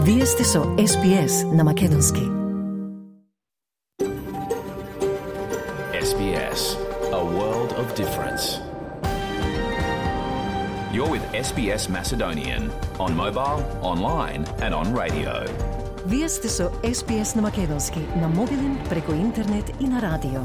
Вие сте со SBS на Македонски. SBS, a world of difference. You're with SBS Macedonian on mobile, online and on radio. Вие сте со SBS на Македонски на мобилен, преку интернет и на радио.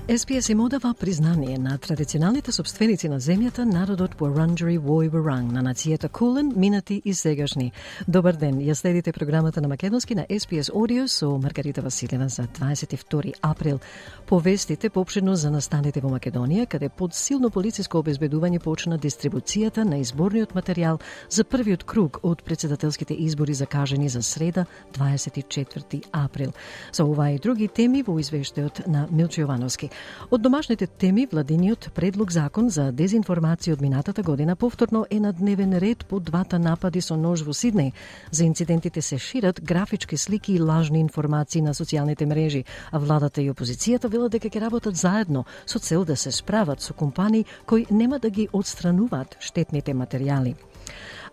SBS им одава признание на традиционалните собственици на земјата, народот Wurundjeri Woi Wurrung, на нацијата Кулен, минати и сегашни. Добар ден, ја следите програмата на Македонски на SBS Audio со Маргарита Василева за 22 април. Повестите поопширно за настаните во Македонија, каде под силно полициско обезбедување почна дистрибуцијата на изборниот материјал за првиот круг од председателските избори закажани за среда 24 април. За ова и други теми во извештајот на Милчо Јовановски. Од домашните теми, владиниот предлог закон за дезинформација од минатата година повторно е на дневен ред по двата напади со нож во Сиднеј. За инцидентите се шират графички слики и лажни информации на социјалните мрежи, а владата и опозицијата велат дека ќе работат заедно со цел да се справат со компании кои нема да ги отстрануваат штетните материјали.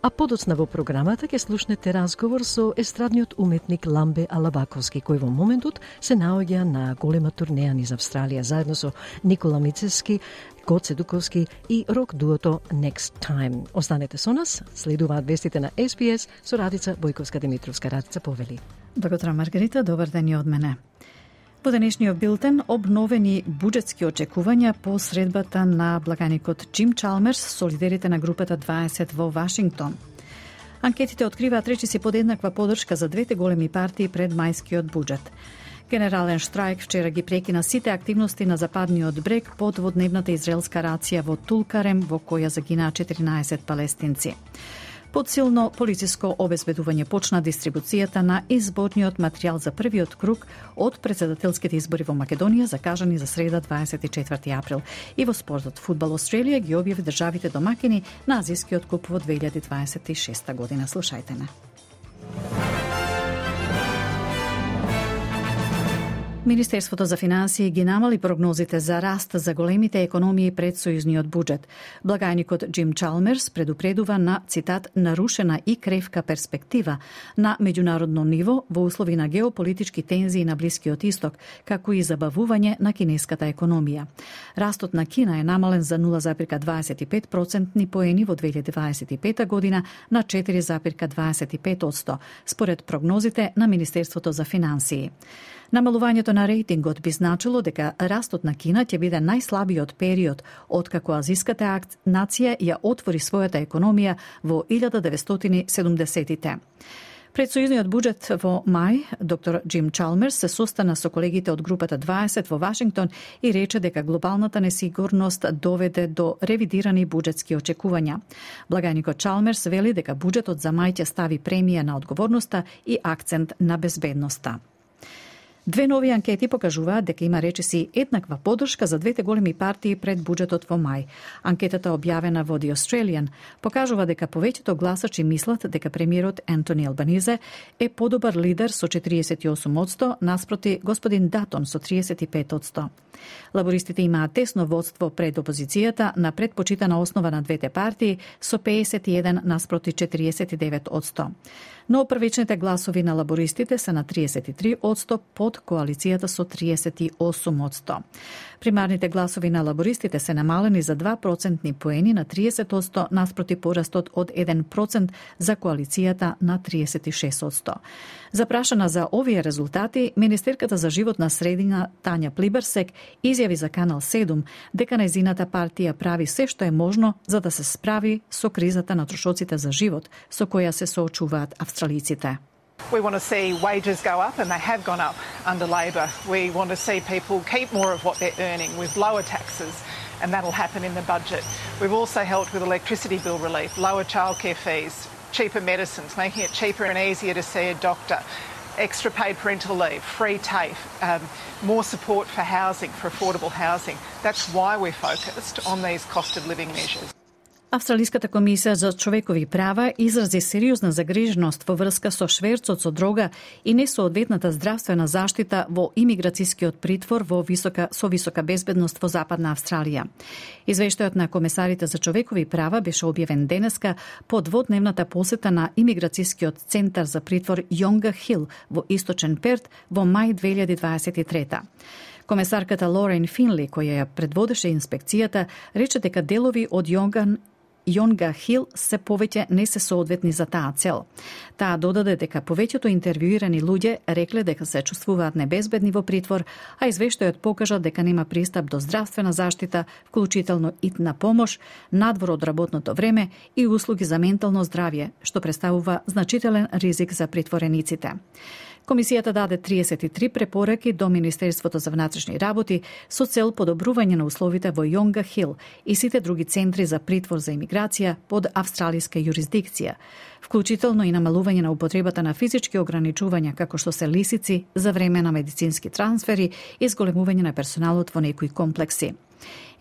А подоцна во програмата ќе слушнете разговор со естрадниот уметник Ламбе Алабаковски, кој во моментот се наоѓа на голема турнеја низ Австралија, заедно со Никола Мицевски, Гоце Дуковски и рок дуото Next Time. Останете со нас, следуваат вестите на SBS со Радица Бојковска-Димитровска. Радица, повели. Добро утро, Маргарита, добар ден и од мене. Во денешниот билтен обновени буџетски очекувања по средбата на благаникот Джим Чалмерс со лидерите на групата 20 во Вашингтон. Анкетите откриваат речиси подеднаква поддршка за двете големи партии пред мајскиот буџет. Генерален штрајк вчера ги прекина сите активности на западниот брег под дводневната израелска рација во Тулкарем, во која загинаа 14 палестинци. Под силно полициско обезбедување почна дистрибуцијата на изборниот материјал за првиот круг од председателските избори во Македонија, закажани за среда 24 април. И во спортот, Фудбал Австралија ги објави државите домакини на Азискиот куп во 2026 година. Слушајте не. Министерството за финансии ги намали прогнозите за раст за големите економии пред сојузниот буџет. Благајникот Джим Чалмерс предупредува на, цитат, нарушена и кревка перспектива на меѓународно ниво во услови на геополитички тензии на Блискиот Исток, како и забавување на кинеската економија. Растот на Кина е намален за 0,25% поени во 2025 година на 4,25%, според прогнозите на Министерството за финансии. Намалувањето на рейтингот би значило дека растот на Кина ќе биде најслабиот период откако азиската нација ја отвори својата економија во 1970-тите. Пред сојузниот буџет во мај, доктор Джим Чалмерс се состана со колегите од групата 20 во Вашингтон и рече дека глобалната несигурност доведе до ревидирани буџетски очекувања. Благајникот Чалмерс вели дека буџетот за мај ќе стави премија на одговорноста и акцент на безбедноста. Две нови анкети покажуваат дека има речиси еднаква поддршка за двете големи партии пред буџетот во мај. Анкетата објавена во The Australian покажува дека повеќето гласачи мислат дека премиерот Ентони Албанизе е подобар лидер со 48%, наспроти господин Датон со 35%. Лабористите имаат тесно водство пред опозицијата на предпочитана основа на двете партии со 51 наспроти 49%. Но првичните гласови на лабористите се на 33% под коалицијата со 38%. Примарните гласови на лабористите се намалени за 2% поени на 30% наспроти порастот од 1% за коалицијата на 36%. Запрашана за овие резултати, министерката за животна средина Тања Плиберсек изјави за Канал 7 дека нејзината партија прави се што е можно за да се справи со кризата на трошоците за живот со која се соочуваат австралиците. We want to see wages go up, and they have gone up under Labor. We want to see people keep more of what they're earning with lower taxes, and that'll happen in the budget. We've also helped with electricity bill relief, lower childcare fees, cheaper medicines, making it cheaper and easier to see a doctor, extra paid parental leave, free TAFE, more support for housing, for affordable housing. That's why we're focused on these cost of living measures. Австралиската комисија за човекови права изрази сериозна загриженост во врска со шверцот со дрога и несоодветната здравствена заштита во имиграцијскиот притвор со висока безбедност во Западна Австралија. Извештајот на комесарите за човекови права беше објавен денеска по дводневната посета на имиграцијскиот центар за притвор Йонга Хил во Источен Перт во мај 2023. Комесарката Лорен Финли, која ја предводеше инспекцијата, рече дека делови од Йонга Хил се повеќе не се соодветни за таа цел. Таа додаде дека повеќето интервјуирани луѓе рекле дека се чувствуваат небезбедни во притвор, а извештајот покажа дека нема пристап до здравствена заштита, вклучително итна помош, надвор од работното време и услуги за ментално здравје, што представува значителен ризик за притворениците. Комисијата даде 33 препораки до Министерството за внатрешни работи со цел подобрување на условите во Йонга Хил и сите други центри за притвор за имиграција под австралиска юрисдикција, вклучително и намалување на употребата на физички ограничувања како што се лисици за време на медицински трансфери и зголемување на персоналот во некои комплекси.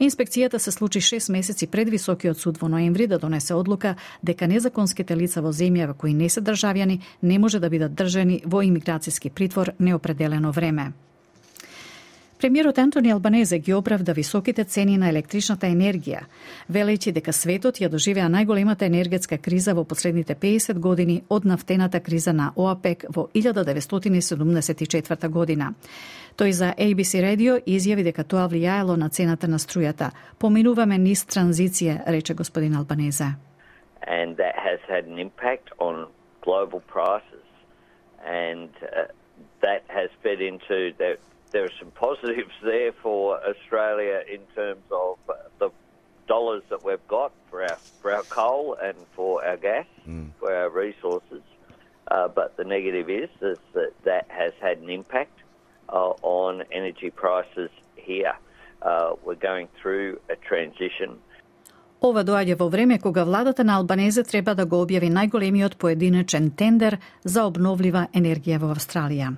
Инспекцијата се случи 6 месеци пред Високиот суд во ноември да донесе одлука дека незаконските лица во земјава кои не се државјани не може да бидат држани во имиграцијски притвор неопределено време. Премиерот Антони Албанезе ги оправда високите цени на електричната енергија, велејќи дека светот ја доживеа најголемата енергетска криза во последните 50 години од нафтената криза на ОАПЕК во 1974 година. Тој за ABC Radio изјави дека тоа влијаело на цената на струјата. Поминуваме низ транзиција, рече господин Албанезе. And that has had an impact on global prices, and that has fed into that. There are some positives there for Australia in terms of the dollars that we've got for our coal and for our gas, for our resources. But the negative is that has had an impact on energy prices here. We're going through a transition. Ова доаѓа во време кога владата на Албанезе треба да го објави најголемиот поединечен тендер за обновлива енергија во Австралија.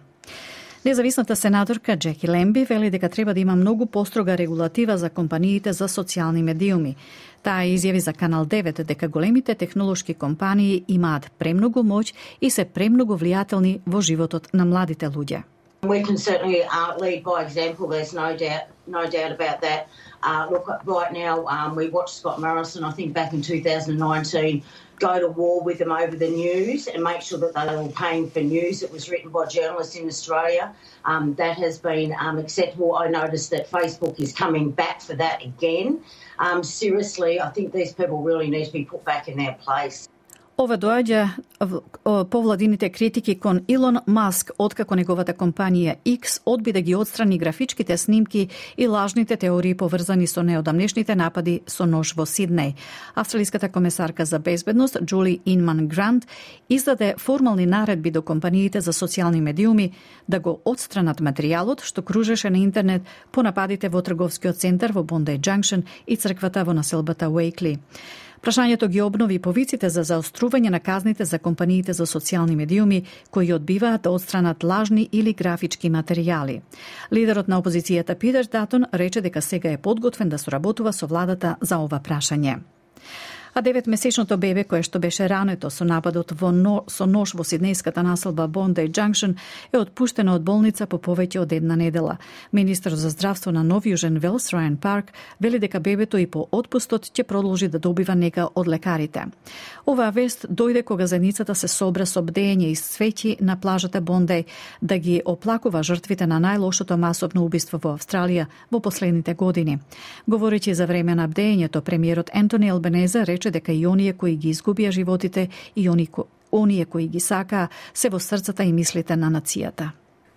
Независната сенаторка Джеки Лемби вели дека треба да има многу построга регулатива за компаниите за социјални медиуми. Таа изјави за Канал 9 дека големите технолошки компании имаат премногу моќ и се премногу влијателни во животот на младите луѓе. We can certainly lead by example. There's no doubt about that. Look, right now we watched Scott Morrison, I think back in 2019, go to war with them over the news and make sure that they were paying for news that was written by journalists in Australia. That has been acceptable. I noticed that Facebook is coming back for that again. Seriously, I think these people really need to be put back in their place. Ова доаѓа по владините критики кон Илон Маск, откако неговата компанија X одби да ги отстрани графичките снимки и лажните теории поврзани со неодамнешните напади со нож во Сиднеј. Австралиската комесарка за безбедност Джули Инман Грант издаде формални наредби до компаниите за социјални медиуми да го отстранат материјалот што кружеше на интернет по нападите во трговскиот центар во Bondi Junction и црквата во населбата Уейкли. Прашањето ги обнови повиците за заострување на казните за компаниите за социјални медиуми кои одбиваат да отстранат лажни или графички материјали. Лидерот на опозицијата Питер Датон рече дека сега е подготвен да соработува со владата за ова прашање. А 9-месечното бебе кое што беше рането со нападот со нож во сиднејската населба Bondi Junction е отпуштено од болница по повеќе од една недела. Министер за здравство на Нов Јужен Велс Рајан Парк вели дека бебето и по отпустот ќе продолжи да добива нега од лекарите. Оваа вест дојде кога заедницата се собра со бдење и свеќи на плажата Bondi да ги оплакува жртвите на најлошото масовно убиство во Австралија во последните години. Говорејќи за време на бдењето, премиерот Антони Албанезе рече дека и оние кои ги изгубија животите и оние кои ги сакаа се во срцата и мислите на нацијата.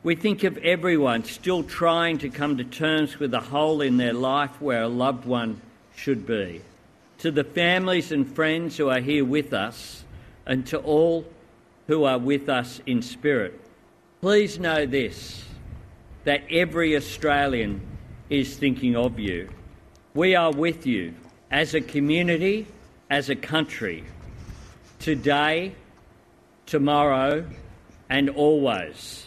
We think of everyone still trying to come to terms with the hole in their life where a loved one should be. To the families and friends who are here with us, and to all who are with us in spirit, please know this, that every Australian is thinking of you. We are with you as a community, as a country, today, tomorrow and always.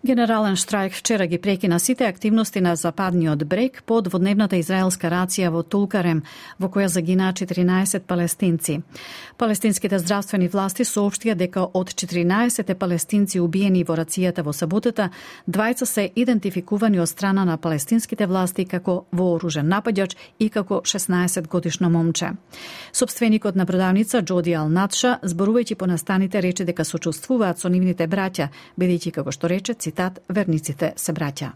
Генерален штрајк вчера ги прекина сите активности на западниот брег по дводневната израелска рација во Тулкарем, во која загинаа 14 палестинци. Палестинските здравствени власти соопштија дека од 14 палестинци убиени во рацијата во саботата, 20 се идентификувани од страна на палестинските власти како вооружен нападјач и како 16-годишно момче. Собственикот на продавница Джоди Ал-Натша, зборувајќи по настаните, рече дека сочувствуваат со нивните браќа, бидејќи како што рече, цитат, верниците се браќа.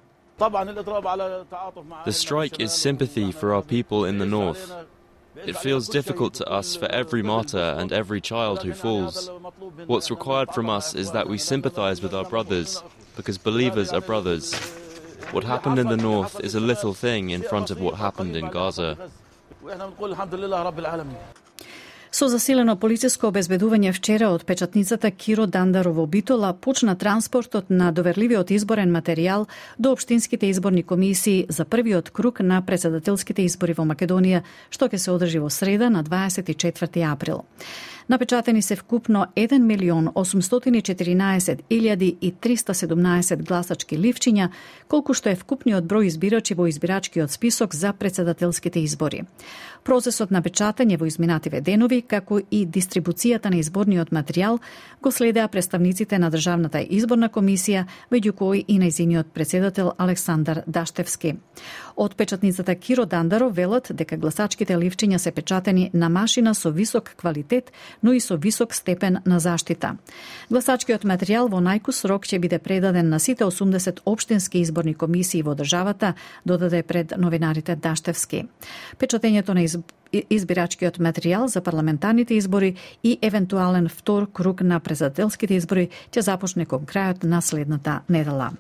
The strike is sympathy for our people in the north. It feels difficult to us for every martyr and every child who falls. What's required from us is that we sympathize with our brothers, because believers are brothers. What happened in the north is a little thing in front of what happened in Gaza. Со засилено полициско обезбедување вчера од печатницата Киро Дандаро во Битола почна транспортот на доверливиот изборен материјал до општинските изборни комисии за првиот круг на претседателските избори во Македонија, што ќе се одржи во среда на 24 април. Напечатени се вкупно 1.814.317 гласачки ливчиња, колку што е вкупниот број избирачи во избирачкиот список за претседателските избори. Процесот на печатање во изминативе денови, како и дистрибуцијата на изборниот материјал, го следеа представниците на Државната изборна комисија, меѓу кои и нејзиниот претседател Александар Даштевски. Од печатницата Киро Дандаро велат дека гласачките ливчиња се печатени на машина со висок квалитет, но и со висок степен на заштита. Гласачкиот материјал во најкус рок ќе биде предаден на сите 80 општински изборни комисии во државата, додаде пред новинарите Даштевски. Печатењето на избирачкиот материјал за парламентарните избори и евентуален втор круг на претседателските избори ќе започне кон крајот на следната недела.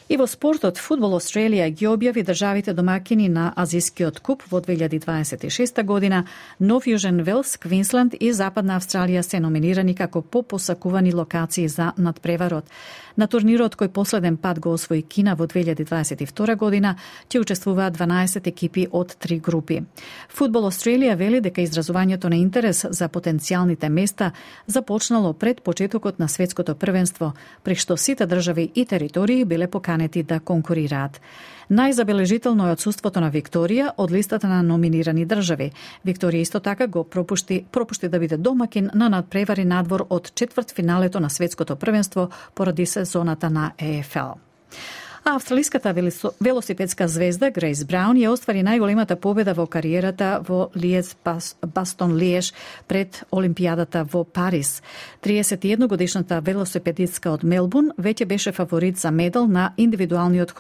И во спортот, Фудбал Австралија ги објави државите домакини на Азискиот куп во 2026 година. Нов Јужен Велс, Квинсленд и Западна Австралија се номинирани како попосакувани локации за надпреварот. На турнирот кој последен пат го освои Кина во 2022 година, ќе учествуваат 12 екипи од 3 групи. Фудбал Австралија вели дека изразувањето на интерес за потенцијалните места започнало пред почетокот на светското првенство, при што сите држави и територии биле поканети да конкурираат. Најзабележително е отсуството на Викторија од листата на номинирани држави. Викторија исто така го пропушти да биде домакин на надпревари надвор од четвртфиналето на светското првенство поради сезоната на ЕФЛ. А австралиската велосипедска звезда Грейс Браун ја оствари најголемата победа во кариерата во Бастон Лиеш пред Олимпијадата во Париз. 31-годишната велосипедистка од Мелбурн веќе беше фаворит за медал на индивидуалниот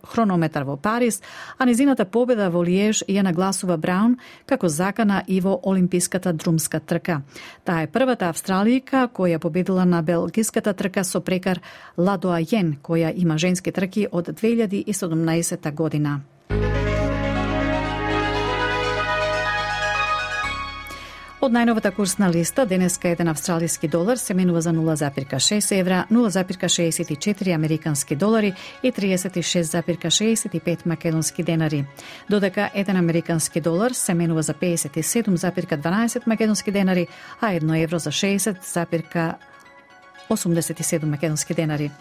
хронометар во Париз, а незината победа во Лиеш ја нагласува Браун како закана и во олимписката друмска трка. Таа е првата австралијка која победила на белгиската трка со прекар Ладоајен, која има женски трки од 2017 година. Од најновата курсна листа, денеска еден австралиски долар се менува за 0,6 евра, 0,64 американски долари и 36,65 македонски денари. Додека еден американски долар се менува за 57,12 македонски денари, а 1 евро за 60,87 македонски денари.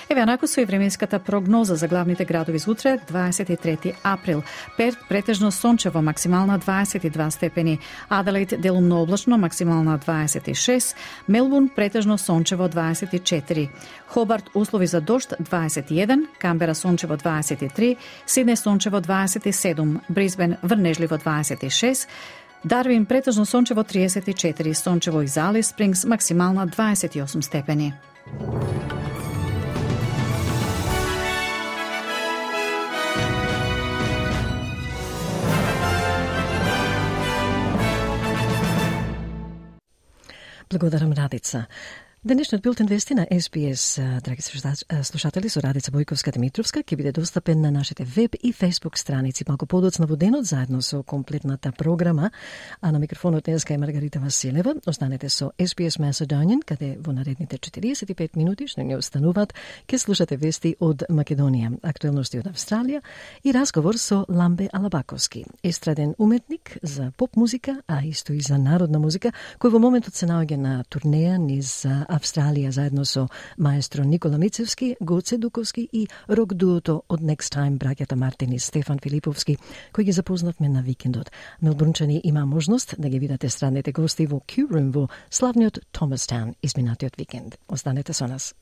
Еве анаку со и временската прогноза за главните градови за утре, 23 април. Перт претежно сончево, максимална 22 степени. Аделаид делумно облачно, максимална 26. Мелбурн претежно сончево 24. Хобарт услови за дожд 21. Камбера сончево 23. Сиднеј сончево 27. Брисбен врнежливо 26. Дарвин претежно сончево 34, сончево и за Алис Спрингс максимална 28 степени. Благодарам, Радица. Денешниот билтен вести на СПС, драги слушатели, со Радица Бојковска-Димитровска, ќе биде достапен на нашите веб и фейсбук страници малку подоцна во денот, заедно со комплетната програма. А на микрофонот днеска е Маргарита Василева. Останете со SBS Macedonian, каде во наредните 45 минути што ни остануваат, ќе слушате вести од Македонија, актуелности од Австралија и разговор со Ламбе Алабаковски, естраден уметник за поп музика, а исто и за народна музика, кој во моментот се наоѓа на турнеја низ Австралија заедно со маестро Никола Мицевски, Гоце Дуковски и рок дуото од Next Time браќата Мартин и Стефан Филиповски, кои ги запознавме на викендот. Мелбурнчани има можност да ги видате странните гости во Q-Room во славниот Томастаун изминатиот викенд. Останете со нас.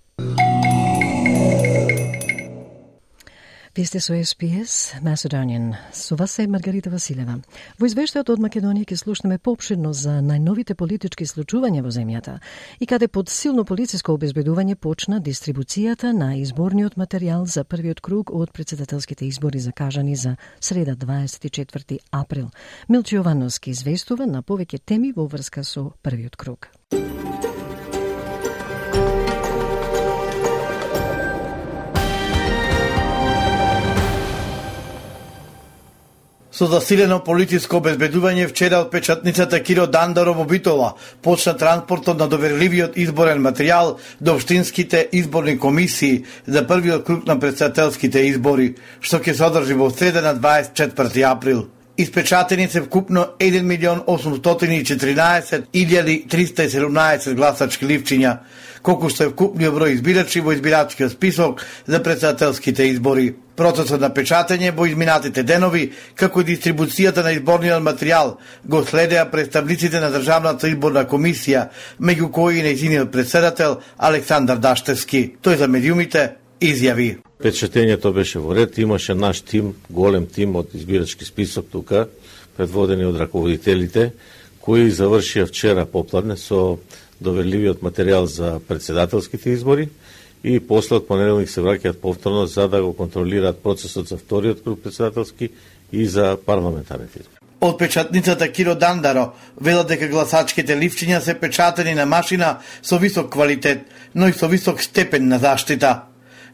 Вие сте со SPS Macedonian. Со вас е Маргарита Василева. Во извештајот од Македонија ќе слушнеме поопширно за најновите политички случувања во земјата и каде под силно полициско обезбедување почна дистрибуцијата на изборниот материјал за првиот круг од председателските избори закажани за среда 24 април. Милчо Јовановски известува на повеќе теми во врска со првиот круг. Со засилено полициско обезбедување вчера од печатницата Киро Дандаро во Битола почна транспортот на доверливиот изборен материјал до општинските изборни комисии за првиот круг на председателските избори, што ќе се одржи во среда на 24 април. Испечатени се вкупно 1.814.317 гласачки ливчиња, колку што е вкупниот број избирачи во избирачкиот список за председателските избори. Процесот на печатење во изминатите денови, како и дистрибуцијата на изборниот материјал, го следеа представниците на Државната изборна комисија, меѓу кои и нејзиниот председател Александар Даштевски. Тој за медиумите изјави: Печатењето беше во ред, имаше наш тим, голем тим од избирачки список тука, предводени од раководителите, кои завршија вчера попладне со доверливиот материјал за председателските избори и после од понеделник се враќаат повторно за да го контролираат процесот за вториот круг председателски и за парламентарните избори. Од печатницата Киро Дандаро велат дека гласачките ливчиња се печатени на машина со висок квалитет, но и со висок степен на заштита.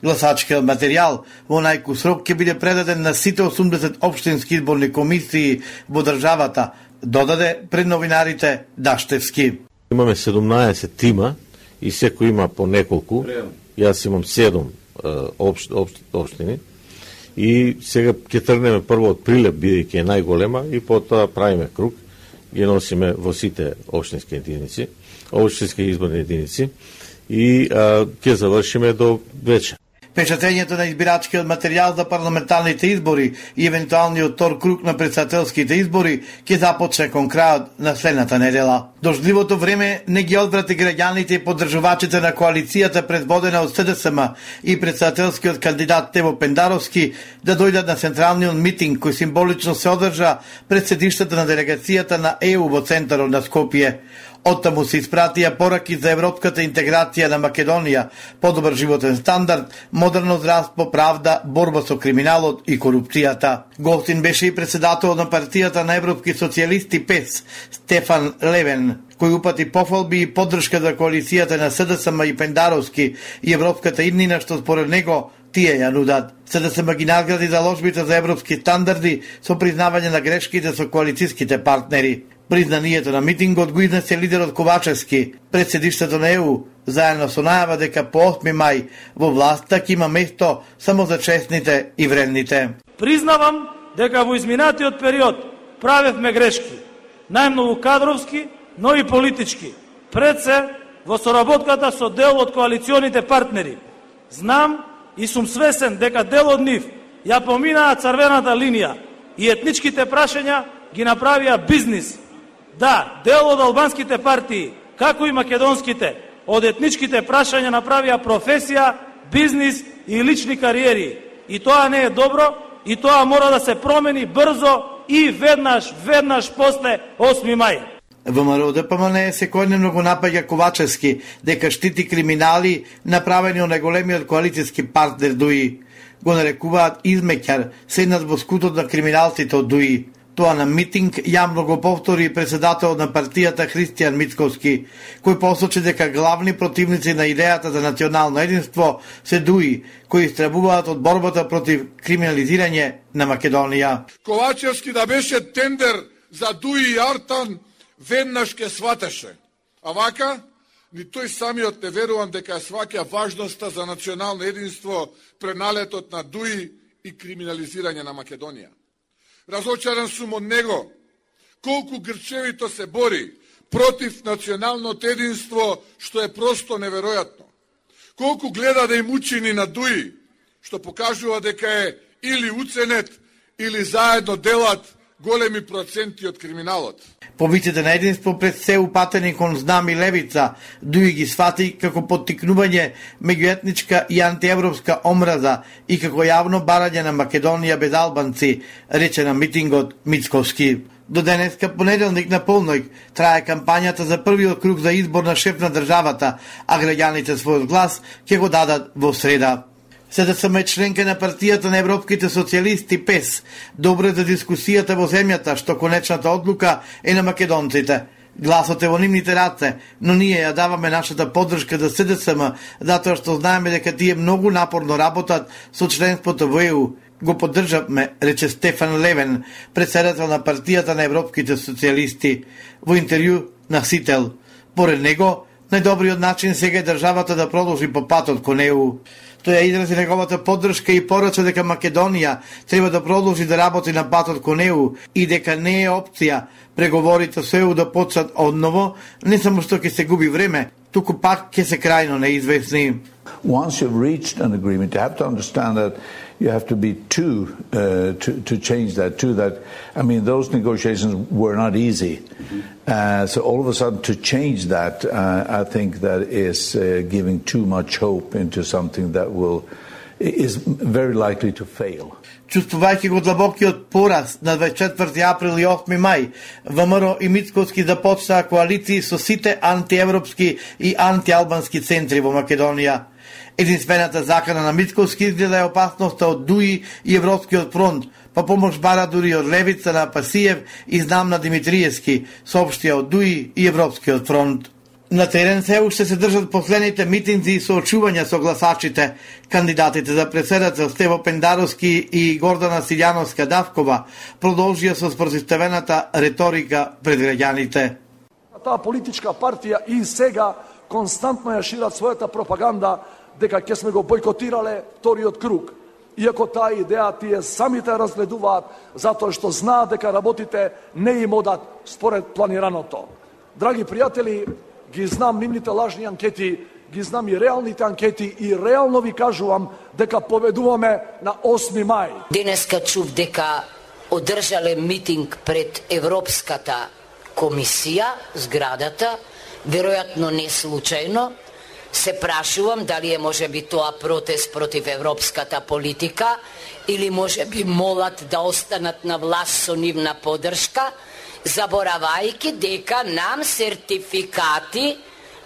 Гласачкиот материјал во најкус рок ќе биде предаден на сите 80 општински изборни комисии во државата, додаде пред новинарите Даштевски. Имаме 17 тима и секој има по неколку. Јас имам 7 општини и сега ќе тргнеме прво од Прилеп, бидејќи е најголема, и потоа правиме круг, ги носиме во сите општински единици, општински изборни единици и ќе завршиме до вечер. Печатењето на избирачкиот материјал за парламентарните избори и евентуалниот втор круг на председателските избори ќе започне кон крајот на следната недела. Дождливото време не ги одврати граѓаните и поддржувачите на коалицијата предводена од СДСМ и председателскиот кандидат Тево Пендаровски да дојдат на централниот митинг кој символично се одржа пред седиштата на делегацијата на ЕУ во центарот на Скопје. Оттаму се испратија пораки за европската интеграција на Македонија, подобар животен стандард, модерно здравство, правда, борба со криминалот и корупцијата. Гостин беше и председател на партијата на европски социјалисти ПЕС, Стефан Левен, кој упати пофалби и поддршка за коалицијата на СДСМ и Пендаровски и европската иднина, што според него тие ја нудат. СДСМ ги награди заложбите за европски стандарди со признавање на грешките со коалицијските партнери. Признанието на митингот го изнесе лидерот Ковачевски пред седиштето на ЕУ, заедно со најава дека по 8 мај во власта ќе има место само за честните и вредните. Признавам дека во изминатиот период правевме грешки, најмногу кадровски, но и политички. Пред се во соработката со дел од коалиционите партнери. Знам и сум свесен дека дел од нив ја поминаа црвената линија и етничките прашања ги направија бизнис. Да, дел од албанските партии, како и македонските, од етничките прашања направија професија, бизнис и лични кариери. И тоа не е добро, и тоа мора да се промени брзо и веднаш после 8 мај. ВМРО ДПМН секојдневно го напаѓа Ковачевски дека штити криминали направени од најголемиот коалицијски партнер ДУИ. Го нарекуваат измеќар, седнат во скутот на криминалците од ДУИ. Тоа на митинг јавно го повтори председателот на партијата Христијан Мицковски, кој посочи дека главни противници на идејата за национално единство се ДУИ, кои истребуваат од борбата против криминализирање на Македонија. Ковачевски да беше тендер за ДУИ и Артан, веднаш ке сватеше. А вака, ни тој самиот не верувам дека сваќа важноста за национално единство преналетот на ДУИ и криминализирање на Македонија. Разочаран сум од него, колку грчевито се бори против националното единство, што е просто неверојатно. Колку гледа да им учини на дуи, што покажува дека е или уценет, или заедно делат големи проценти од криминалот. Повиците на единство пред се упатени кон знам и левица, дуи ги свати како поттикнување меѓуетничка и антиевропска омраза и како јавно барање на Македонија без албанци, рече на митингот Мицковски. До денеска, понеделник на полноќ, трае кампањата за првиот круг за избор на шеф на државата, а граѓаните својот глас ќе го дадат во среда. СДСМ е членка на партијата на европските социјалисти ПЕС, добро за дискусијата во земјата, што конечната одлука е на македонците. Гласот е во нивните раце, но ние ја даваме нашата поддршка за СДСМ, затоа што знаеме дека тие многу напорно работат со членството во ЕУ. Го поддржавме, рече Стефан Левен, председател на партијата на европските социјалисти, во интервју на Сител. Поред него, најдобриот начин сега е државата да продолжи по патот кон ЕУ. Тој ја изрази неговата поддршка и порача дека Македонија треба да продолжи да работи на патот кон ЕУ и дека не е опција преговорите со ЕУ да почнат одново, не само што ќе се губи време, туку пак ќе се крајно неизвестни. Once you've reached an agreement, you have to understand that you have to be two to change that. I mean, those negotiations were not easy. So all of a sudden to change that, I think that is giving too much hope into something that is very likely to fail. Чувствувајќи го длабокиот пораз на 24 април и 8 мај, ВМРО и Мицковски започнаа коалиции со сите антиевропски и антиалбански центри во Македонија. Единствената закана на Мицковски изгледа е опасноста од ДУИ и Европскиот фронт, па помош бара дури од левица на Пасиев и знам на Димитриевски, соопштија од ДУИ и Европскиот фронт. На терен се уште се држат последните митинзи и соочувања со гласачите. Кандидатите за председател Стево Пендаровски и Гордана Силјановска-Давкова продолжија со спротивставената реторика пред граѓаните. Таа политичка партија и сега константно ја шират својата пропаганда дека ќе сме го бойкотирале вториот круг. Иако таа идеја тие самите разгледуваат затоа што знаат дека работите не им одат според планираното. Драги пријатели, ги знам нивните лажни анкети, ги знам и реалните анкети и реално ви кажувам дека победуваме на 8 мај. Денеска чув дека одржале митинг пред Европската комисија, зградата, веројатно не случајно. Се прашувам дали е можеби тоа протест против европската политика или можеби молат да останат на власт со нивна поддршка, заборавајќи дека нам сертификати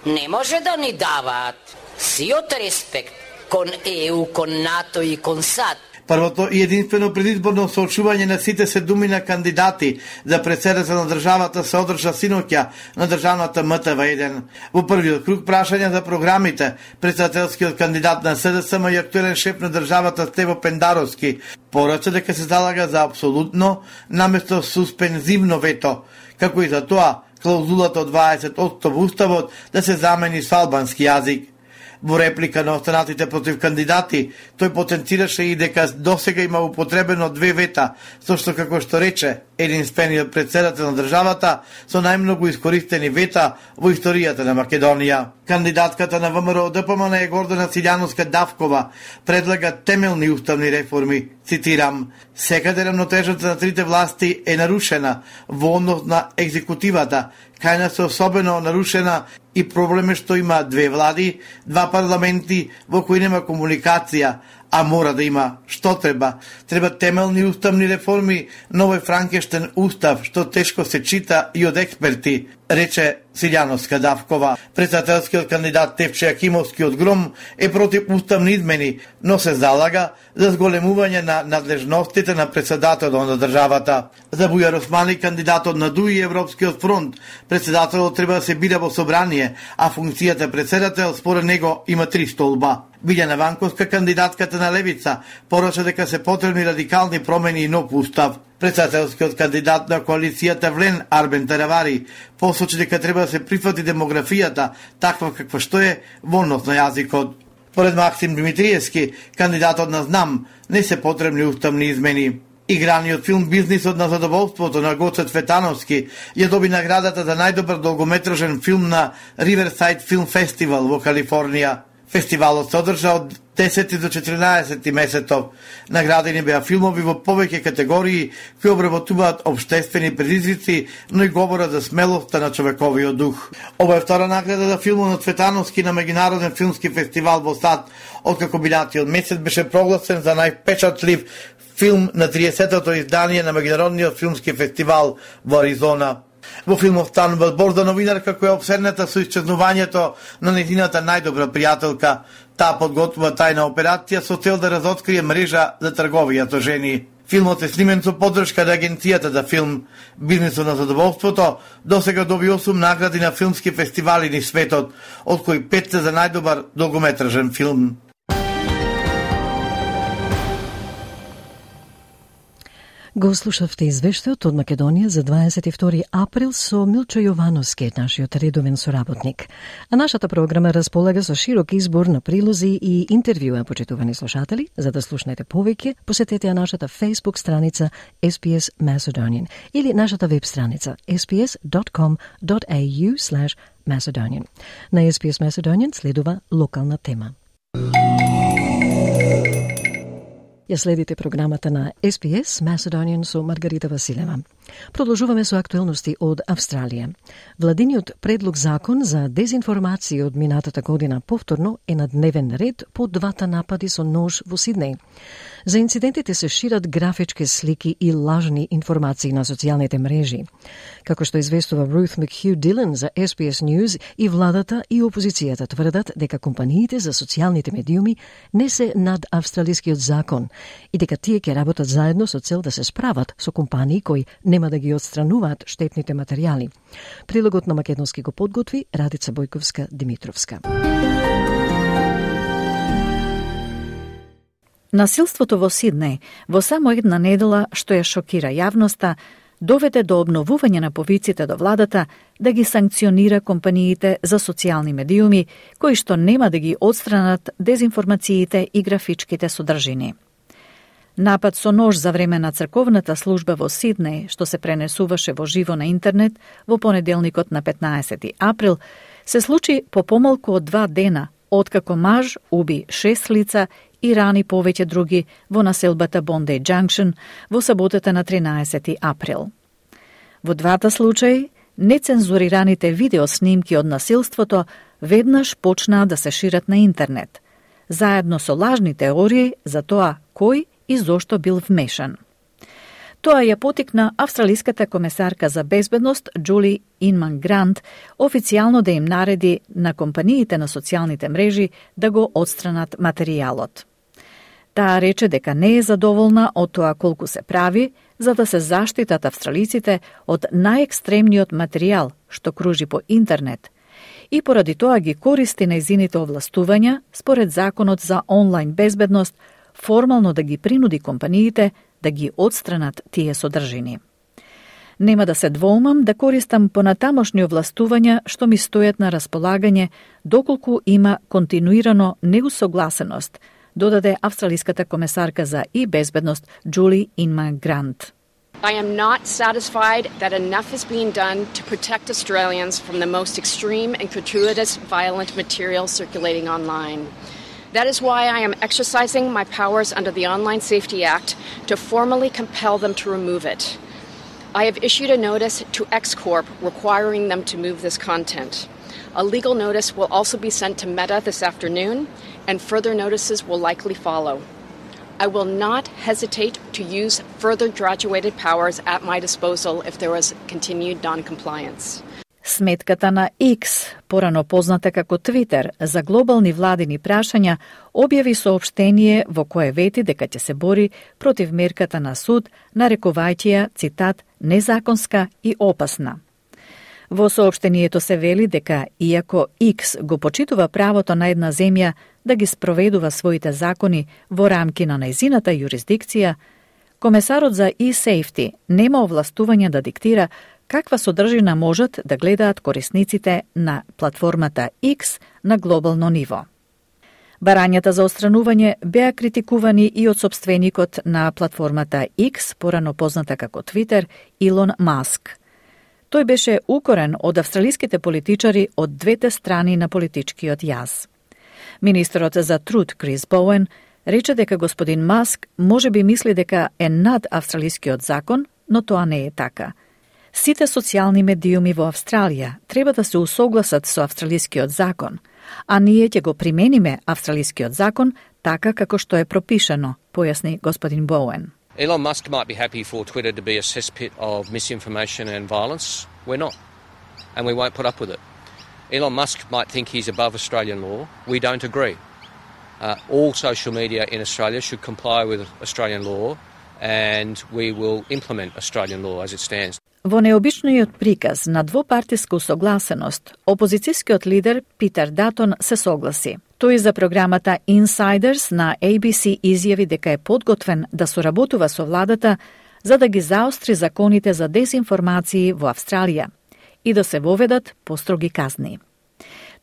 не може да ни даваат. Сиот респект кон ЕУ, кон НАТО и кон САД. Првото и единствено предизборно соочување на сите 7 кандидати за председател на државата се одржа синоќа на државната МТВ1. Во првиот круг прашања за програмите, председателскиот кандидат на СДСМ и актуелен шеф на државата Стево Пендаровски порача дека се залага за апсолутно наместо суспензивно вето, како и за тоа клаузулата од 20% во Уставот да се замени со албански јазик. Во реплика на останатите против кандидати, тој потенцираше и дека досега има употребено 2 вета, со што, како што рече, единствениот председател на државата со најмногу искористени вета во историјата на Македонија. Кандидатката на ВМРО ДПМН е Гордана Силјановска-Давкова предлага темелни уставни реформи. Цитирам: "Секаде рамнотежата на трите власти е нарушена во однос на екзекутивата, кај нас е особено нарушена и проблем е што има 2 влади, 2 парламенти во кои нема комуникација, а мора да има што треба. Треба темелни уставни реформи, новој Франкештен устав, што тешко се чита и од експерти", рече Силјановска-Давкова. Председателскиот кандидат Тевче Акимовски од ГРОМ е против уставни измени, но се залага за зголемување на надлежностите на председателот на државата. За Бујар Османи, кандидатот на ДУИ и Европскиот фронт, председателот треба да се бира во собрание, а функцијата председател според него има 3 столба. Билјана Ванковска, кандидатката на Левица, порача дека се потребни радикални промени и нов устав. Председателскиот кандидат на коалицијата Влен Арбен Таравари посочи дека треба да се прифати демографијата таква каква што е во однос на јазикот. Поред Максим Димитриевски, кандидатот на Знам, не се потребни уставни измени. Играниот филм "Бизнисот на задоволството" на Гоце Цветановски ја доби наградата за најдобар долгометражен филм на Riverside Film Festival во Калифорнија. Фестивалот се одржа од 10 до 14 месецов. Наградени беа филмови во повеќе категории кои обработуваат обштествени предизвици, но и говорат за смелоста на човековиот дух. Ова е втора награда за филмот на Цветановски на Меѓународен филмски фестивал во САД, откако минатиот месец беше прогласен за најпечатлив филм на 30-тото издание на Меѓународниот филмски фестивал во Аризона. Во филмот станува збор за новинарка која е обсерната со исчезнувањето на нејзината најдобра пријателка. Таа подготвува тајна операција со цел да разоткрие мрежа за трговија со жени. Филмот е снимен со поддршка на Агенцијата за филм. "Бизнисот на задоволството" досега доби 8 награди на филмски фестивали низ светот, од кои 5 се за најдобар долгометражен филм. Го слушавте извештајот од Македонија за 22 април со Милчо Јовановски, нашиот редовен соработник. А нашата програма располага со широк избор на прилози и интервјуа, почитувани слушатели. За да слушнете повеќе, посетете нашата Facebook страница SPS Macedonian или нашата веб страница sps.com.au/Macedonian. На SPS Macedonian следува локална тема. Ја следите програмата на SPS Macedonian со Маргарита Василева. Продолжуваме со актуелности од Австралија. Владиниот предлог закон за дезинформација од минатата година повторно е на дневен ред по двата напади со нож во Сиднеј. За инцидентите се шират графички слики и лажни информации на социјалните мрежи. Како што известува Ruth McHugh Dillon за SPS News, и владата и опозицијата тврдат дека компаниите за социјалните медиуми не се над австралискиот закон и дека тие ќе работат заедно со цел да се справат со компании кои нема да ги отстрануваат штетните материјали. Прилогот на македонски го подготви Радица Бојковска-Димитровска. Насилството во Сиднеј во само една недела, што ја шокира јавноста, доведе до обновување на повиците до владата да ги санкционира компаниите за социјални медиуми, кои што нема да ги отстранат дезинформациите и графичките содржини. Напад со нож за време на црковната служба во Сиднеј, што се пренесуваше во живо на интернет во понеделникот на 15 април, се случи по помалку од 2 дена, откако маж уби 6 лица и рани повеќе други во населбата Bondi Junction во саботата на 13 април. Во двата случаи, нецензурираните видеоснимки од насилството веднаш почнаа да се шират на интернет, заедно со лажни теории за тоа кој и зошто бил вмешан. Тоа ја потикна австралиската комесарка за безбедност Джули Инман Грант официјално да им нареди на компаниите на социјалните мрежи да го отстранат материјалот. Таа рече дека не е задоволна од тоа колку се прави за да се заштитат австралиците од најекстремниот материјал што кружи по интернет и поради тоа ги користи нејзините овластувања според законот за онлайн безбедност формално да ги принуди компаниите да ги отстранат тие содржини. Нема да се двоумам да користам понатамошни овластувања што ми стојат на располагање доколку има континуирано неусогласеност, додаде австралиската комесарка за и безбедност Джули Инман Грант. I am not satisfied that enough is being done to protect Australians from the most extreme and gratuitous violent material circulating online. That is why I am exercising my powers under the Online Safety Act to formally compel them to remove it. I have issued a notice to X Corp requiring them to move this content. A legal notice will also be sent to Meta this afternoon, and further notices will likely follow. I will not hesitate to use further graduated powers at my disposal if there was continued non-compliance. Сметката на X, порано позната како Твитер, за глобални владини прашања, објави соопштение во кое вети дека ќе се бори против мерката на суд, нарекувајќи ја, цитат, незаконска и опасна. Во соопштението се вели дека, иако X го почитува правото на една земја да ги спроведува своите закони во рамки на нејзината јурисдикција, комесарот за e-safety нема овластување да диктира каква содржина можат да гледаат корисниците на платформата X на глобално ниво. Барањата за отстранување беа критикувани и од сопственикот на платформата X, порано позната како Твитер, Илон Маск. Тој беше укорен од австралиските политичари од двете страни на политичкиот јаз. Министерот за труд Крис Боуен рече дека господин Маск може би мисли дека е над австралискиот закон, но тоа не е така. Сите социјални медиуми во Австралија треба да се усогласат со австралискиот закон, а ние ќе го примениме австралискиот закон така како што е пропишано, појасни господин Боуен. Elon Musk might be happy for Twitter to be a cesspit of misinformation and violence. We're not, and we won't put up with it. Elon Musk might think he's above Australian law. We don't agree. All social media in Australia should comply with Australian law, and we will implement Australian law as it stands. Во необичниот приказ на двопартиска усогласеност, опозицијскиот лидер Питер Датон се согласи. Тој за програмата Insiders на ABC изјави дека е подготвен да соработува со владата за да ги заостри законите за дезинформации во Австралија и да се воведат построги казни.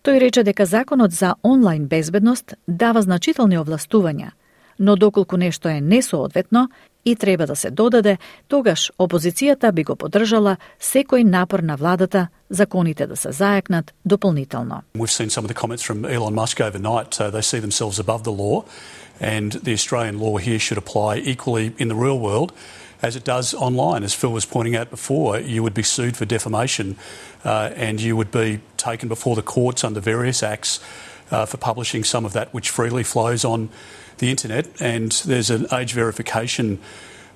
Тој рече дека законот за онлайн безбедност дава значителни овластувања, но доколку нешто е несоодветно и треба да се додаде, тогаш опозицијата би го поддржала секој напор на владата законите да се зајакнат дополнително. We've seen some of the comments from Elon Musk overnight. They see themselves above the law, and the Australian law here should apply equally in the real world as it does online. As Phil was pointing out before, you would be sued for defamation and you would be taken before the courts under various acts for publishing some of that which freely flows on the internet. And there's an age verification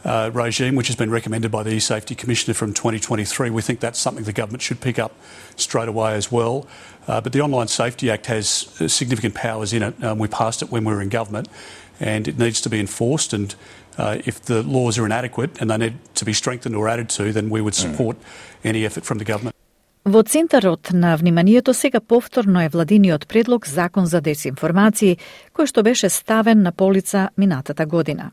regime which has been recommended by the eSafety Commissioner from 2023. We think that's something the government should pick up straight away as well. But the Online Safety Act has significant powers in it. We passed it when we were in government, and it needs to be enforced. And if the laws are inadequate and they need to be strengthened or added to, then we would support any effort from the government. Во центарот на вниманието сега повторно е владиниот предлог Закон за дезинформации, кој што беше ставен на полица минатата година.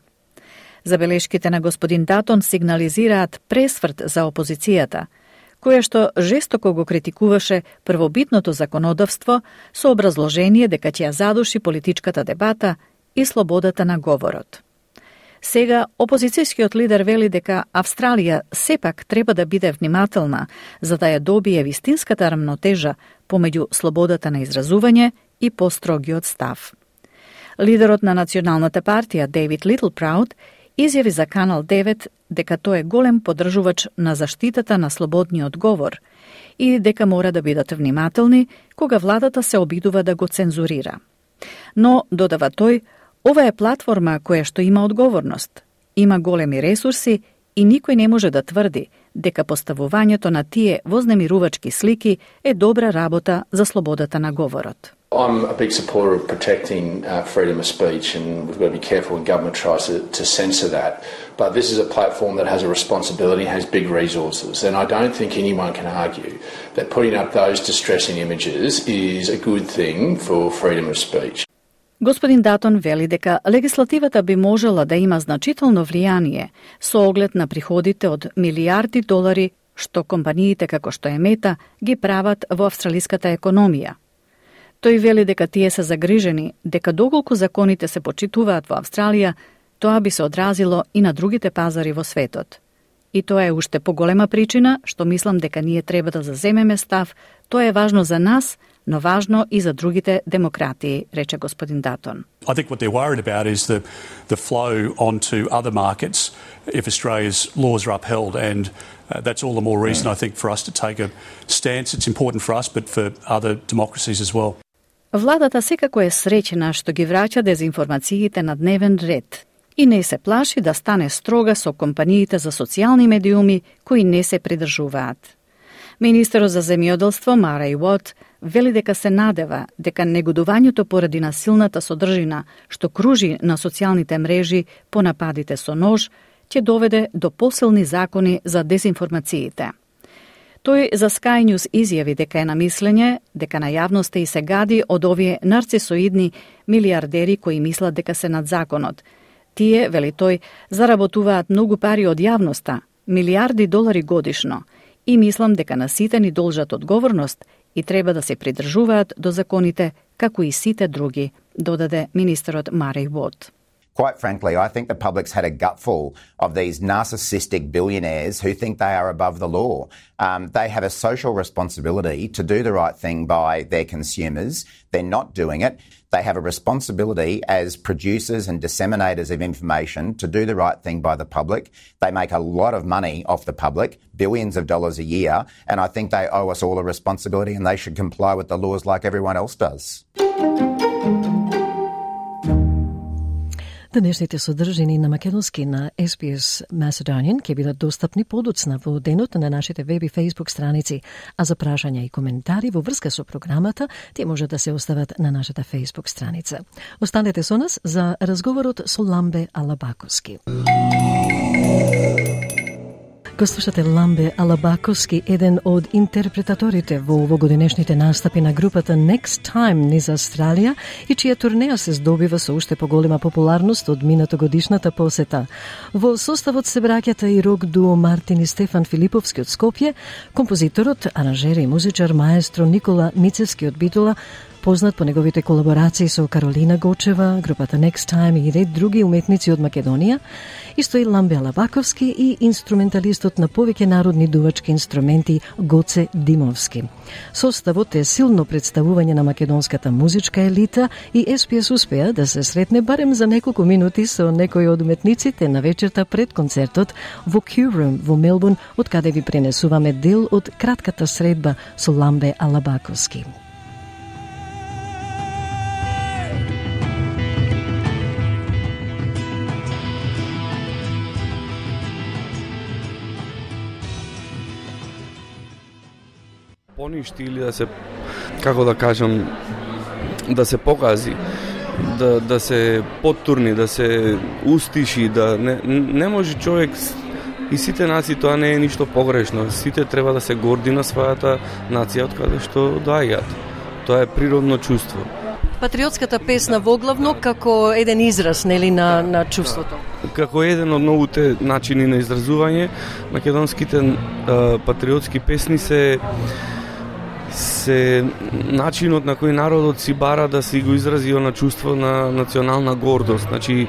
Забелешките на господин Датон сигнализираат пресврт за опозицијата, која што жестоко го критикуваше првобитното законодавство со образложение дека ќе ја задуши политичката дебата и слободата на говорот. Сега, опозицијскиот лидер вели дека Австралија сепак треба да биде внимателна за да ја добие вистинската рамнотежа помеѓу слободата на изразување и построгиот став. Лидерот на Националната партија Дейвид Литлпрауд изјави за Канал 9 дека тој е голем поддржувач на заштитата на слободниот говор и дека мора да бидат внимателни кога владата се обидува да го цензурира. Но, додава тој, ова е платформа која што има одговорност, има големи ресурси и никој не може да тврди дека поставувањето на тие вознемирувачки слики е добра работа за слободата на говорот. I'm a big supporter of protecting freedom of speech, and we've got to be careful when government tries to censor that. But this is a platform that has a responsibility, has big resources, and I don't think anyone can argue that putting up those distressing images is a good thing for freedom of speech. Господин Датон вели дека легислативата би можела да има значително влијание со оглед на приходите од милиарди долари што компаниите како што е Мета ги прават во австралиската економија. Тој вели дека тие се загрижени дека доколку законите се почитуваат во Австралија, тоа би се одразило и на другите пазари во светот. И тоа е уште поголема причина што мислам дека ние треба да заземеме став. Тоа е важно за нас, но важно и за другите демократии, рече господин Датон. I think what they're worried about is the flow onto other markets if Australia's laws are upheld, and that's all the more reason I think for us to take a stance. It's important for us, but for other democracies as well. Владата секако е среќна што ги враќа дезинформациите на дневен ред и не се плаши да стане строга со компаниите за социјални медиуми кои не се придржуваат. Министерот за земјоделство Мареј Уот вели дека се надева дека негодувањето поради насилната содржина што кружи на социјалните мрежи по нападите со нож ќе доведе до посилни закони за дезинформациите. Тој за Sky News изјави дека е на мислење дека на јавноста и се гади од овие нарцисоидни милиардери кои мислат дека се над законот. Тие, вели тој, заработуваат многу пари од јавноста, милиарди долари годишно, И мислам дека на сите ни должат одговорност и треба да се придржуваат до законите како и сите други, додаде министерот Марей Вод. Quite frankly, I think the public's had a gutful of these narcissistic billionaires who think they are above the law. They have a social responsibility to do the right thing by their consumers. They're not doing it. They have a responsibility as producers and disseminators of information to do the right thing by the public. They make a lot of money off the public, billions of dollars a year, and I think they owe us all a responsibility and they should comply with the laws like everyone else does. Денешните содржини на македонски на SPS Macedonian ќе бидат достапни подоцна во денот на нашите веб и Facebook страници, а за прашања и коментари во врска со програмата, тие може да се остават на нашата Facebook страница. Останете со нас за разговорот со Ламбе Алабаковски. Го слушате Ламбе Алабаковски, еден од интерпретаторите во овогодинешните настапи на групата Next Time низ Австралија и чија турнеја се здобива со уште поголема популарност од минатогодишната посета. Во составот се браќата и рок дуо Мартин и Стефан Филиповски од Скопје, композиторот, аранжер и музичар маестро Никола Мицевски од Битола, познат по неговите колаборации со Каролина Гочева, групата Next Time и ред други уметници од Македонија, исто и Ламбе Алабаковски и инструменталистот на повеќе народни дувачки инструменти Гоце Димовски. Составот е силно представување на македонската музичка елита и SPS успеа да се сретне барем за неколку минути со некои од уметниците на вечерта пред концертот во Q-Room во Мелбурн, од каде ви пренесуваме дел од кратката средба со Ламбе Алабаковски. Поништи или да се, како да кажам, да се покази, да се поттурни, да се устиши, да не може човек и сите нации, тоа не е ништо погрешно. Сите треба да се горди на својата нација од каде што доаѓаат. Тоа е природно чувство. Патриотската песна воглавно како еден израз, нели, на чувството. Како еден од новите начини на изразување, македонските патриотски песни се начинот на кој народот си бара да си го изрази на чувство на национална гордост. Значи,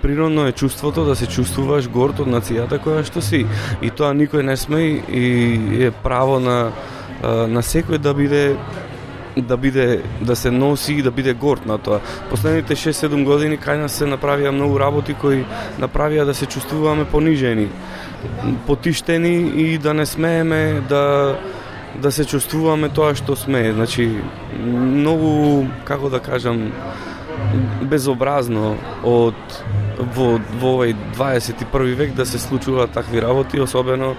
природно е чувството да се чувствуваш горд од нацијата која што си. И тоа никој не сме и е право на секој да се носи и да биде горд на тоа. Последните 6-7 години кај нас се направија многу работи кои направија да се чувствуваме понижени, потиштени и да не смееме да се чувствуваме тоа што сме. Значи, многу, како да кажам, безобразно во овој 21 век да се случуваат такви работи, особено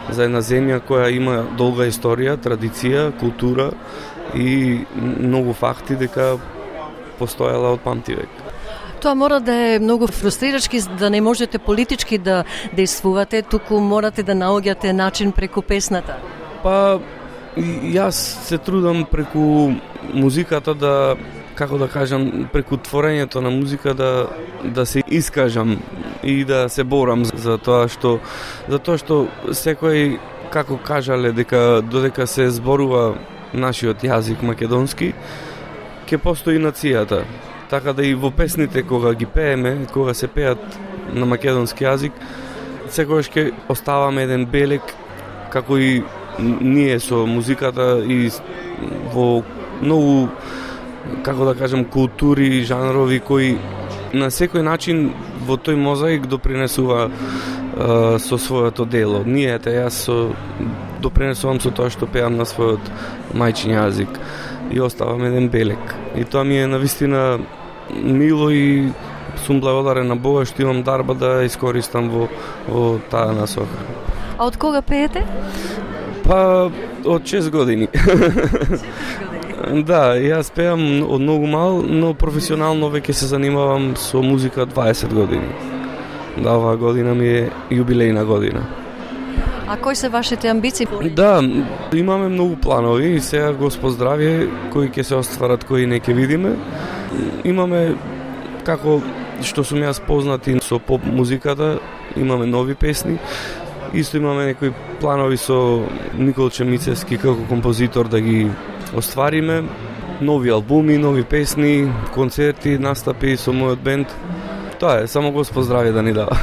за една земја која има долга историја, традиција, култура и многу факти дека постоела од памтивек. Тоа мора да е многу фрустрирачки, да не можете политички да действувате, туку морате да наоѓате начин преку песната. Па, јас се трудам преку музиката да, како да кажам, преку творењето на музика да се искажам и да се борам за тоа што секој, како кажале, додека се зборува нашиот јазик македонски, ќе постои нацијата. Така да и во песните кога ги пееме, кога се пеат на македонски јазик, секогаш ќе оставаме еден белег, како и ние со музиката и во многу, како да кажам, култури, жанрови кои на секој начин во тој мозаик допринесува со своето дело. Јас допринесувам со тоа што пеам на својот мајчин јазик и оставам еден белег. И тоа ми е навистина мило и сум благодарен на Бога што имам дарба да искористам во таа насока. А од кога пеете? Па, од 6 години. Да, јас пеам од многу мал, но професионално веќе се занимавам со музика 20 години. Да, оваа година ми е јубилејна година. А кои се вашите амбиции? Да, имаме многу планови и сега Господ здравје, кои ќе се остварат, кои не ќе видиме. Имаме, како што сум јас познати со поп музиката, имаме нови песни. Исто имаме некои планови со Николче Мицевски како композитор да ги оствариме. Нови албуми, нови песни, концерти, настапи со мојот бенд. Тоа е, само Господ здравје да ни дава.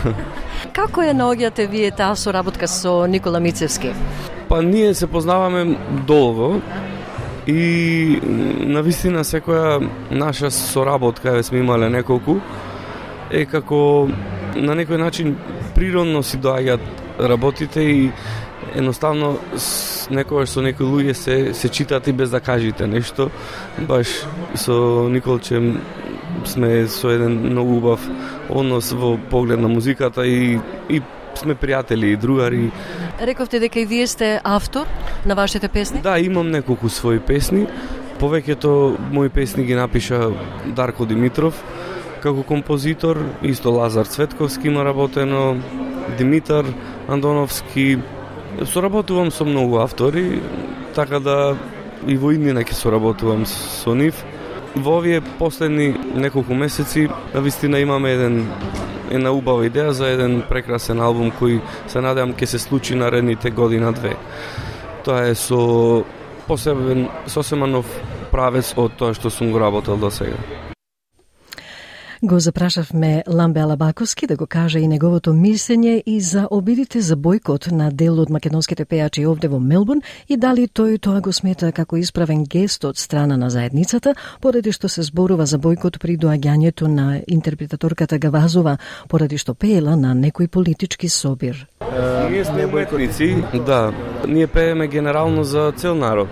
Како ја наоѓате вие таа соработка со Никола Мицевски? Па ние се познаваме долго и навистина секоја наша соработка, сме имале неколку, е како на некој начин природно си доаѓаат работите и едноставно некогаш со некои луѓе се читат и без да кажете нешто. Баш со Николче сме со еден многу убав однос во поглед на музиката и сме пријатели и другари. Рековте дека и вие сте автор на вашите песни? Да, имам неколку своји песни. Повеќето мои песни ги напиша Дарко Димитров како композитор, исто Лазар Цветковски има работено, Димитар Андоновски. Соработувам со многу автори, така да и во иднина ќе соработувам со нив. Во овие последни неколку месеци навистина имаме една убава идеја за еден прекрасен албум кој се надевам ќе се случи наредните година-две. Тоа е со сосема нов правец од тоа што сум го работел до сега. Го запрашавме Ламбе Алабаковски да го каже и неговото мислење и за обидите за бојкот на дел од македонските пејачи овде во Мелбурн и дали тој тоа го смета како исправен гест од страна на заедницата, поради што се зборува за бојкот при доаѓањето на интерпретаторката Гавазова, поради што пеела на некој политички собир. Ние сме уметници, да. Ние пееме генерално за цел народ.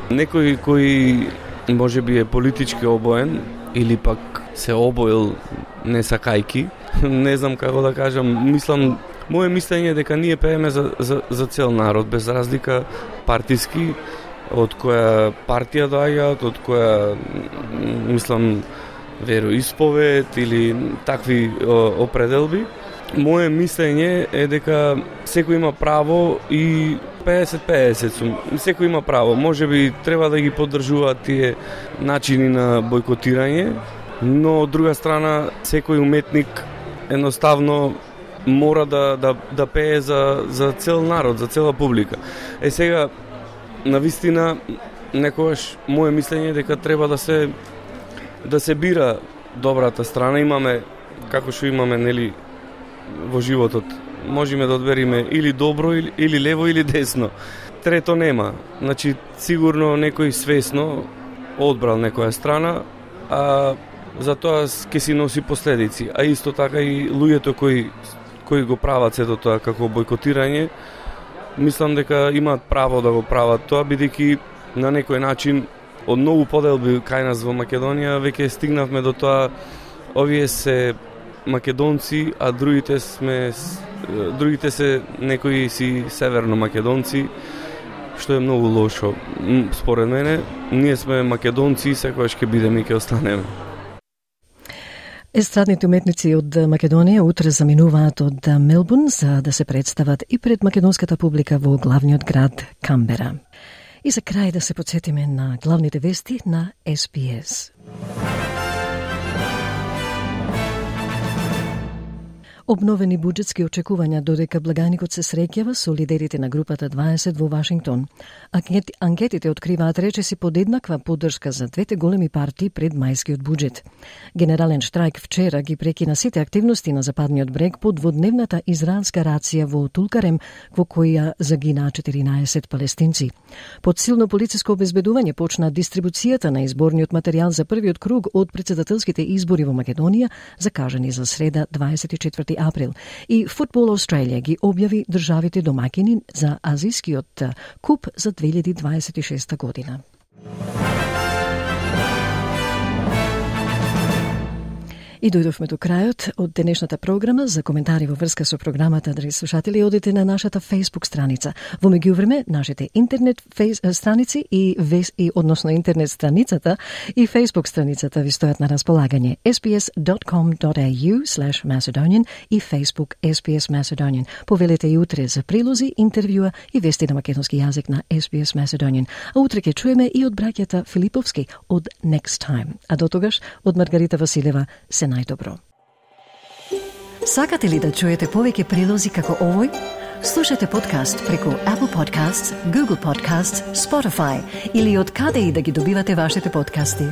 Некој кој можеби е политички обоен или пак се обоил не сакајки, не знам како да кажам, мислам, моje мислење е дека ние пееме за цел народ, без разлика партиски, од која партија доаѓаат, од која, мислам, вероисповед или такви определби. Моje мислење е дека секој има право и 50-50 сум. Секој има право. Можеби треба да ги поддржуваат тие начини на бојкотирање, но од друга страна секој уметник едноставно мора да пее за цел народ, за цела публика. Сега навистина некогаш моje мислење е дека треба да се бира добрата страна. Имаме како што имаме нели во животот. Можеме да одбериме или добро или лево или десно. Трето нема. Значи сигурно некој свесно одбрал некоја страна, а за тоа ќе си носи последици. А исто така и луѓето кои го прават сето тоа како бојкотирање, мислам дека имаат право да го прават тоа, бидејќи на некој начин од многу поделби кај нас во Македонија веќе стигнавме до тоа, овие се македонци, а другите се некои си северно македонци, што е многу лошо. Според мене, ние сме македонци и секогаш ќе бидеме и ќе останеме. Естрадните уметници од Македонија утре заминуваат од Мелбурн за да се представат и пред македонската публика во главниот град Камбера. И за крај да се подсетиме на главните вести на SBS. Обновени буџетски очекувања додека благаникот се среќава со лидерите на групата 20 во Вашингтон. Анкетите откриваат речиси подеднаква поддршка за двете големи партии пред мајскиот буџет. Генерален штрајк вчера ги прекина сите активности на Западниот брег по дводневната израелска рација во Тулкарем, во која загинаа 14 палестинци. Под силно полициско обезбедување почна дистрибуцијата на изборниот материјал за првиот круг од председателските избори во Македонија, закажани за среда 24 април. И Football Australia ги објави државите домакини за Азискиот куп за 2026 година. И дојдовме до крајот од денешната програма. За коментари во врска со програмата, драги слушатели, одите на нашата Facebook страница. Во меѓувреме, нашите интернет страници и односно интернет страницата и Facebook страницата ви стојат на располагање. sbs.com.au/Macedonian и Facebook SBS Macedonian. Повелете и утре за прилози, интервјуа и вести на македонски јазик на SBS Macedonian. А утре ќе чуеме и од браќата Филиповски од Next Time. А до тогаш, од Маргарита Василева, се најдобро. Сакате ли да чуете повеќе прилози како овој? Слушате подкаст преку Apple Podcasts, Google Podcasts, Spotify или од каде и да ги добивате вашите подкасти.